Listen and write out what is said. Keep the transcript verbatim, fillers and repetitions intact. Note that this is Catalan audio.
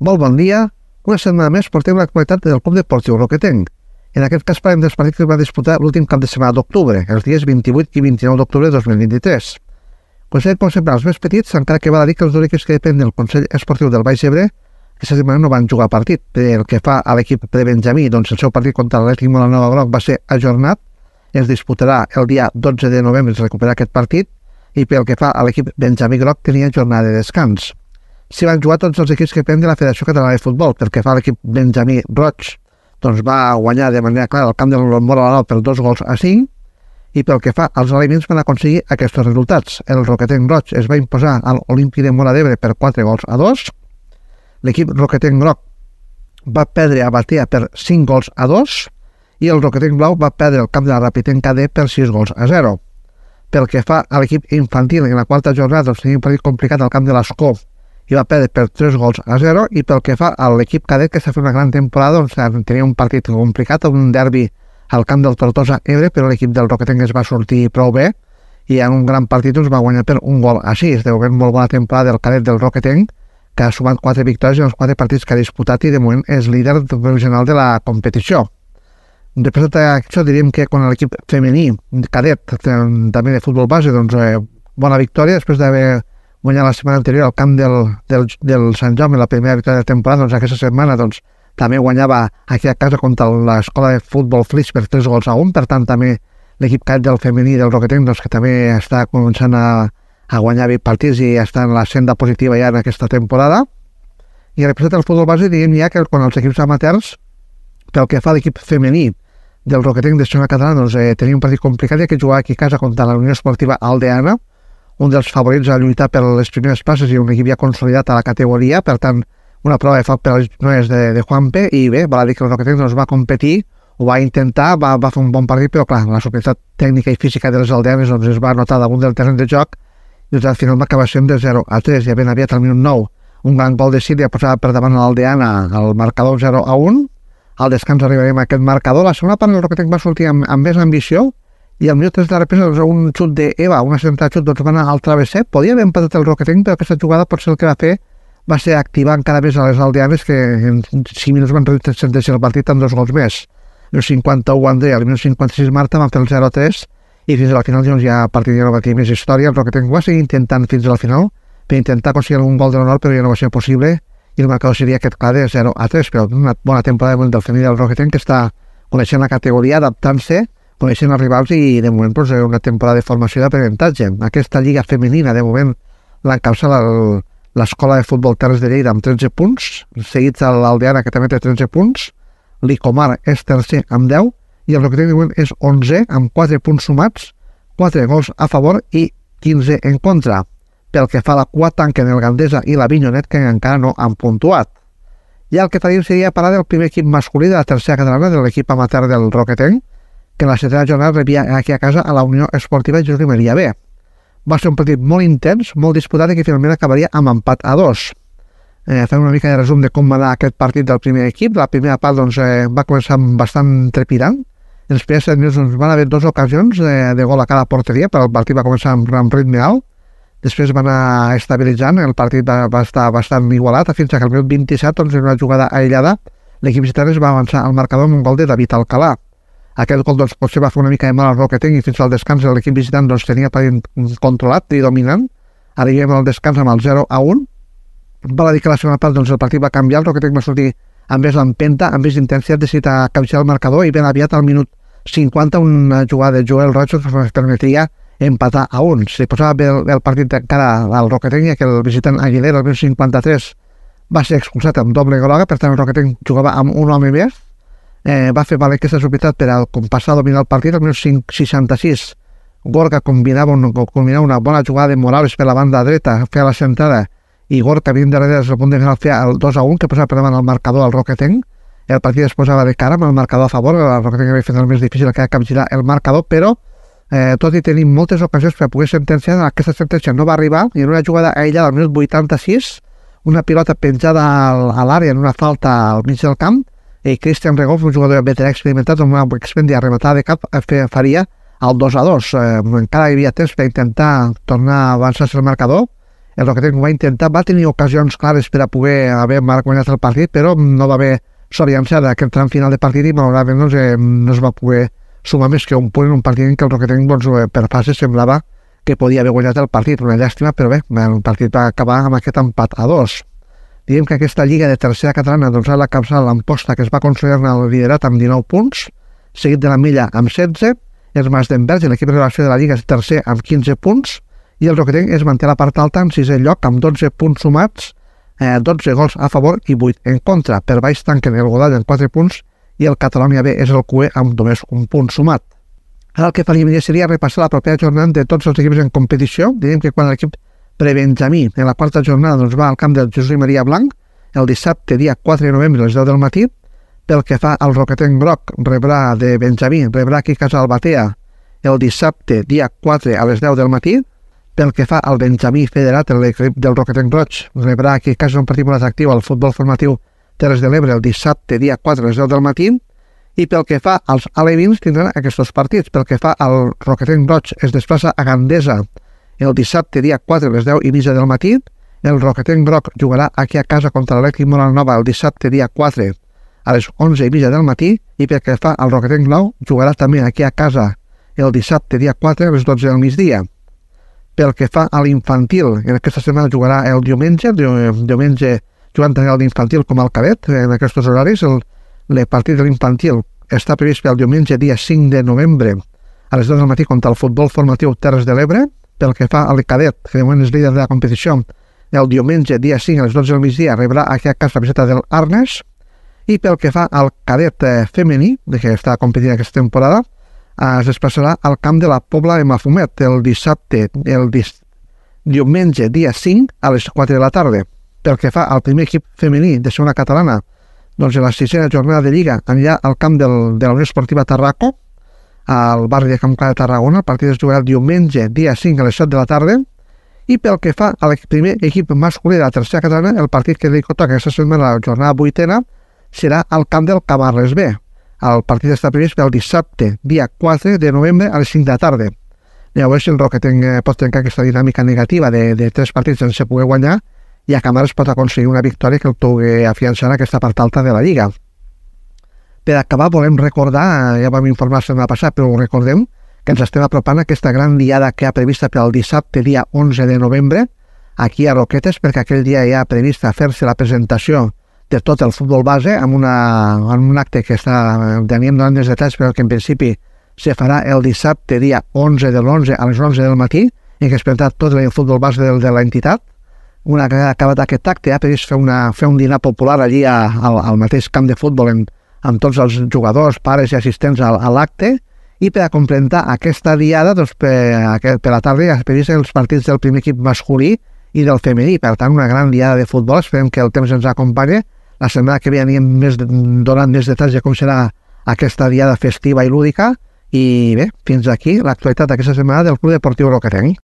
Molt bon dia. Una setmana més portem l'actualitat del Club Deportiu Roquetenc. En aquest cas parlem dels partits que es va disputar l'últim cap de setmana d'octubre, els dies vint-i-vuit i vint-i-nou d'octubre de dos mil vint-i-tres. Considerem, com sempre, els més petits, encara que val a dir que els dos equips que depèn del Consell Esportiu del Baix Ebre aquesta setmana no van jugar partit. Pel que fa a l'equip de Benjamí, doncs el seu partit contra l'Atlètic Molanova Groc va ser ajornat, es disputarà el dia dotze de novembre, es recuperarà aquest partit, i pel que fa a l'equip Benjamí Groc tenia jornada de descans. S'hi van jugar tots els equips que depèn de la Federació Catalana de Futbol. Pel que fa a l'equip Benjamí Roig, doncs va guanyar de manera clara el camp del Molanova per dos gols a cinc, i pel que fa als aliments van aconseguir aquests resultats. El Roquetenc Roig es va imposar a l'Olímpic de Móra d'Ebre per quatre gols a dos, l'equip Roquetenc Groc va perdre a Batea per cinc gols a dos i el Roquetenc Blau va perdre el camp de la Rapitenc K D per sis gols a zero. Pel que fa a l'equip infantil, en la quarta jornada doncs, tenia un partit complicat al camp de l'Escó i va perdre per tres gols a zero, i pel que fa a l'equip cadet, que està fent una gran temporada, doncs, tenia un partit complicat, un derbi al camp del Tortosa Ebre, però l'equip del Roquetenc es va sortir prou bé i en un gran partit doncs, va guanyar per un gol a sis. Deu haver molt bona temporada del cadet del Roquetenc, que ha sumat quatre victòries en els quatre partits que ha disputat i de moment és líder provisional de la competició. Després d'això diríem que quan l'equip femení cadet, també de futbol base, doncs eh, bona victòria, després d'haver guanyat la setmana anterior al camp del, del, del Sant Jaume, la primera victòria de temporada, doncs aquesta setmana doncs, també guanyava aquí a casa contra l'escola de futbol Flix per tres gols a un, per tant també l'equip cadet del femení del Roquetenc, doncs, que també està començant a, a guanyar partits i està en la senda positiva ja en aquesta temporada. I representa el futbol base, diguem ja que quan els equips amateurs, pel que fa a l'equip femení del Roquetenc de Segona Catalana, doncs, eh, tenia un partit complicat, ja que jugava aquí a casa contra la Unió Esportiva Aldeana, un dels favorits a lluitar per les primeres places i un equip ja consolidat a la categoria, per tant, una prova de foc per a les noies de, de Juanpe, i bé, val a dir que el Roquetenc doncs, va competir, ho va intentar, va, va fer un bon partit, però clar, la superioritat tècnica i física de les aldeanes doncs, es va notar damunt del terreny de joc, i doncs, al final va acabar sent de zero a tres, ja ben aviat al minut nou, un gran gol de Síria posava per davant a l'Aldeana al marcador zero a un, al descans arribarem a aquest marcador. La segona part el Roquetenc va sortir amb, amb més ambició, i al minut tres de la represa doncs, un xut d'Eva, una central xut, doncs va anar al travesser. Podia haver empatat el Roquetenc, però aquesta jugada potser el que va fer va ser activar encara més a les aldeanes, que en cinc minuts van sentenciar el partit amb dos gols més. Al minut cinquanta-u André, al minut cinquanta-sis Marta van fer el zero a tres, i fins al final doncs, ja a partir ja no va tenir més història. El Roquetenc va seguir intentant fins al final per intentar aconseguir algun gol de l'honor, però ja no va ser possible, i el marcador seria aquest clar de zero a tres, però una bona temporada del femení del Roquetenc, que està coneixent la categoria, adaptant-se, coneixent els rivals, i de moment doncs, una temporada de formació i d'aprenentatge. Aquesta lliga femenina, de moment, l'encapçala l'escola de futbol Terres de Lleida amb tretze punts, seguits a l'Aldeana, que també té tretze punts, l'Icomar és tercer amb deu, i el Roquetenc de moment és onze amb quatre punts sumats, quatre gols a favor i quinze en contra. Pel que fa a la cua, tanquen el Gandesa i la Vinyonet, que encara no han puntuat. I el que faríem seria parlar del primer equip masculí de la tercera catalana, de l'equip amateur del Roquetenc, que en la setena jornada rebia aquí a casa a la Unió Esportiva Jordi Maria B. Va ser un partit molt intens, molt disputat, i que finalment acabaria amb empat a dos. Eh, fem una mica de resum de com va anar aquest partit del primer equip. La primera part doncs, eh, va començar bastant trepidant. En els primers set minuts doncs, van haver dues ocasions de, de gol a cada porteria, però el partit va començar amb, amb ritme alt. Després va anar estabilitzant, el partit va, va estar bastant igualat, fins que al minut vint-i-set, doncs, en una jugada aïllada, l'equip visitant va avançar al marcador amb un gol de David Alcalà. Aquest gol doncs, potser va fer una mica de mal al Roquetenc, i fins al descans l'equip visitant doncs, tenia el partit controlat i dominant. Arribem al descans amb el zero a un. Val a dir que la segona part doncs, el partit va canviar, el Roquetenc va sortir amb més empenta, amb més intensitat, decidit a capgirar el marcador, i ben aviat al minut cinquanta una jugada de Joel Roig que permetria empatar a un. Si posava bé el, el partit encara al Roquetenc, ja que el visitant Aguilera al minut cinquanta-tres va ser expulsat amb doble groga, per tant el Roquetenc jugava amb un home més. Eh, va fer valer aquesta superioritat per al passar a dominar el partit. Al minut seixanta-sis Gorka combinava, un, combinava una bona jugada de Morales per la banda dreta, feia la centrada, i Gorka vint darrere des del punt de final feia el dos a un, que posava per davant el marcador al Roquetenc. El partit es posava de cara amb el marcador a favor. El Roquetenc havia fet el més difícil, que era capgirar el marcador, però Eh, tot i tenir moltes ocasions per poder sentenciar, aquesta sentència no va arribar, i en una jugada aïllada al minut vuitanta-sis, una pilota penjada al, a l'àrea en una falta al mig del camp, i Cristian Regolf, un jugador veterà experimentat amb una expendia rematada de cap, faria el dos a dos. Eh, encara hi havia temps per intentar tornar a avançar-se el marcador, el Roquetenc ho va intentar, va tenir ocasions clares per a poder haver guanyat el partit, però no va haver sort llançada aquest tram final de partit i malauradament doncs, eh, no es va poder sumar més que un punt en un partit en què el Roquetenc doncs, per fases semblava que podia haver guanyat el partit, una llàstima, però bé, el partit va acabar amb aquest empat a dos. Diguem que aquesta lliga de tercera catalana doncs, ha la capçada l'Amposta, que es va consolidar el liderat amb dinou punts, seguit de la Milla amb setze, els Masdenberg, l'equip de relació de la lliga, és tercer amb quinze punts, i el Roquetenc es manté a la part alta en sisè lloc amb dotze punts sumats, eh, dotze gols a favor i vuit en contra. Per baix tanquen el Godall amb quatre punts i el Catalunya B és el Q E amb només un punt sumat. Ara el que faríem seria repassar la propera jornada de tots els equips en competició. Diríem que quan l'equip prebenjamí en la quarta jornada doncs, va al camp del Josep Maria Blanc el dissabte dia quatre de novembre a les deu del matí. Pel que fa al Roquetenc Groc, rebrà de Benjamí, rebrà aquí a casa Albatea el dissabte dia quatre a les deu del matí. Pel que fa al Benjamí Federat, l'equip del Roquetenc Roig rebrà aquí a casa un partit molt atractiu al futbol formatiu Terres de l'Ebre el dissabte dia quatre a les deu del matí. I pel que fa als alevins tindran aquests partits. Pel que fa al Roquetenc Roig es desplaça a Gandesa el dissabte dia quatre a les deu i mitja del matí. El Roquetenc Groc jugarà aquí a casa contra l'Elèctric Molanova el dissabte dia quatre a les onze i mitja del matí. I pel que fa al Roquetenc Nou jugarà també aquí a casa el dissabte dia quatre a les dotze del migdia. Pel que fa a l'infantil, en aquesta setmana jugarà el diumenge, diumenge jugant tant l'infantil com el cadet, en aquests horaris. El, el partit de l'infantil està previst pel diumenge dia cinc de novembre a les deu del matí contra el futbol formatiu Terres de l'Ebre. Pel que fa al cadet, que de moment és líder de la competició, el diumenge dia cinc a les dotze del migdia rebrà aquí a casa la visita del Arnes. I pel que fa al cadet femení, que està competint aquesta temporada, es desplaçarà al camp de la Pobla de Mafumet el dissabte, el dis... diumenge dia cinc a les quatre de la tarda. Pel que fa al primer equip femení de segona catalana, doncs en la sisena jornada de Lliga anirà al camp del, de la Unió Esportiva Tarraco, al barri de Camp Clar de Tarragona. El partit es jugarà el diumenge dia cinc a les set de la tarda. I pel que fa al primer equip masculí de la tercera catalana, el partit que li toca aquesta setmana, la jornada vuitena, serà al camp del Camarles B. El partit està previst pel dissabte, dia quatre de novembre a les cinc de la tarda. Llavors, el Roquetenc pot trencar aquesta dinàmica negativa de, de tres partits sense poder guanyar i a Camarles pot aconseguir una victòria que el pugui afiançar en aquesta part alta de la Lliga. Per acabar, volem recordar, ja vam informar la setmana passada, però ho recordem, que ens estem apropant a aquesta gran diada que ha prevista pel dissabte, dia onze de novembre, aquí a Roquetes, perquè aquell dia ja ha previst fer-se la presentació de tot el futbol base amb, una, amb un acte que està, teníem donant més detalls, però que en principi se farà el dissabte, dia onze de l'onze a les onze del matí, en què es presentarà tot el futbol base de, de l'entitat. Una vegada acabat aquest acte, ha previst fer, una, fer un dinar popular allí a, al, al mateix camp de futbol en, amb tots els jugadors, pares i assistents a, a l'acte, i per a complementar aquesta diada, doncs, per, per la tarda ja es previst els partits del primer equip masculí i del femení. Per tant, una gran diada de futbol. Esperem que el temps ens acompanyi. La setmana que ve anirem més, donant més detalls de com serà aquesta diada festiva i lúdica. I bé, fins aquí l'actualitat d'aquesta setmana del Club Deportiu Roquetenc.